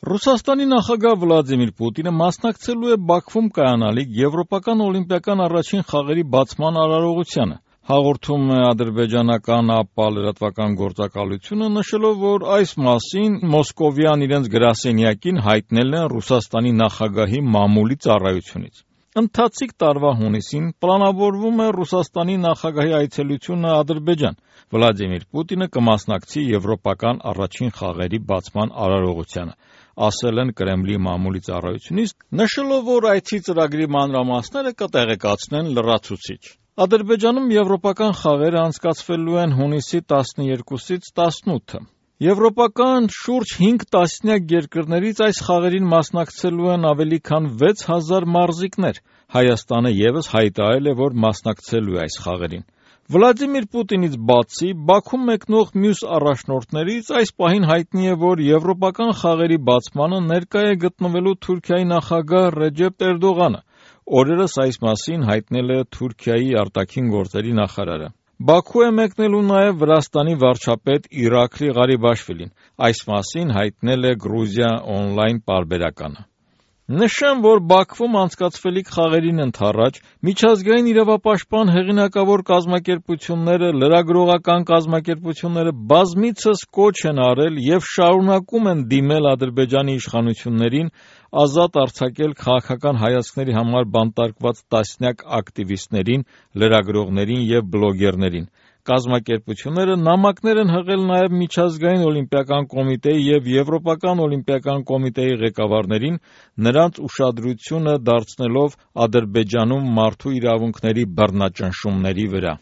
Ռուսաստանի նախագահ Վլադիմիր Պուտինը մասնակցելու է Բաքվում կայանալիք Եվրոպական օլիմպիական առաջին խաղերի բացման արարողությանը, հաղորդում է ադրբեջանական ԱՊԱ լրատվական գործակալությունը, նշելով, որ այս մասին Մոսկովյան իրենց գրասենյակին հայտնել են Ռուսաստանի նախագահի մամուլի ծառայությունից։ Ընթացիկ տարվա հունիսին պլանավորվում է Ռուսաստանի նախագահի այցելությունը Ադրբեջան։ Վլադիմիր Պուտինը կմասնակցի Եվրոպական առաջին խաղերի բացման արարողությանը, ասել են Կրեմլի մամուլի ծառայությունից, նշելով, որ այցի ծրագրի մանրամասները կտեղեկացնեն լրացուցիչ։ Ադրբեջանում եվրոպական խաղերը անցկացվելու են հունիսի 12-ից 18-ը։ Եվրոպական շուրջ 5 տասնյակ երկրներից այս խաղերին մասնակցելու են ավելի քան 6000 մարզիկներ։ Հայաստանը ևս հայտարարել է, որ մասնակցելու է այս խաղերին։ Վլադիմիր Պուտինից բացի Բաքու մեկնող մյուս առաջնորդներից այս պահին հայտնի է, որ եվրոպական խաղերի բացմանը ներկա է գտնվելու Թուրքիայի նախագահ Ռեջեփ Էրդողանը։ Օրերս այս մասին հայտնել է Թուրքիայի արտաքին գործերի նախարարը։ Բաքու է մեկնելու նաև Վրաստանի վարչապետ Իրաքլի Ղարիբաշվիլին։ Այս մասին հայտնել է Գրուզիա օնլայն պարբերականը։ Նշեմ, որ Բաքվում անցկացվելիք խաղերին ընդառաջ միջազգային իրավապաշտպան հեղինակավոր կազմակերպությունները, լրագրողական կազմակերպությունները բազմիցս կոչ են արել և շարունակում են դիմել Ադրբեջանի իշխանություններին ազատ արձակել քաղաքական հայացքների համար բանտարկված տասնյակ ակտիվիստներին, լրագրողներին և բլոգերներին։ Կազմակերպությունները նամակներ են հղել նաև Միջազգային օլիմպիական կոմիտեի և Եվրոպական օլիմպիական կոմիտեի ղեկավարներին, նրանց ուշադրությունը դարձնելով Ադրբեջանում մարդու իրավունքների բռնաճնշումների վրա։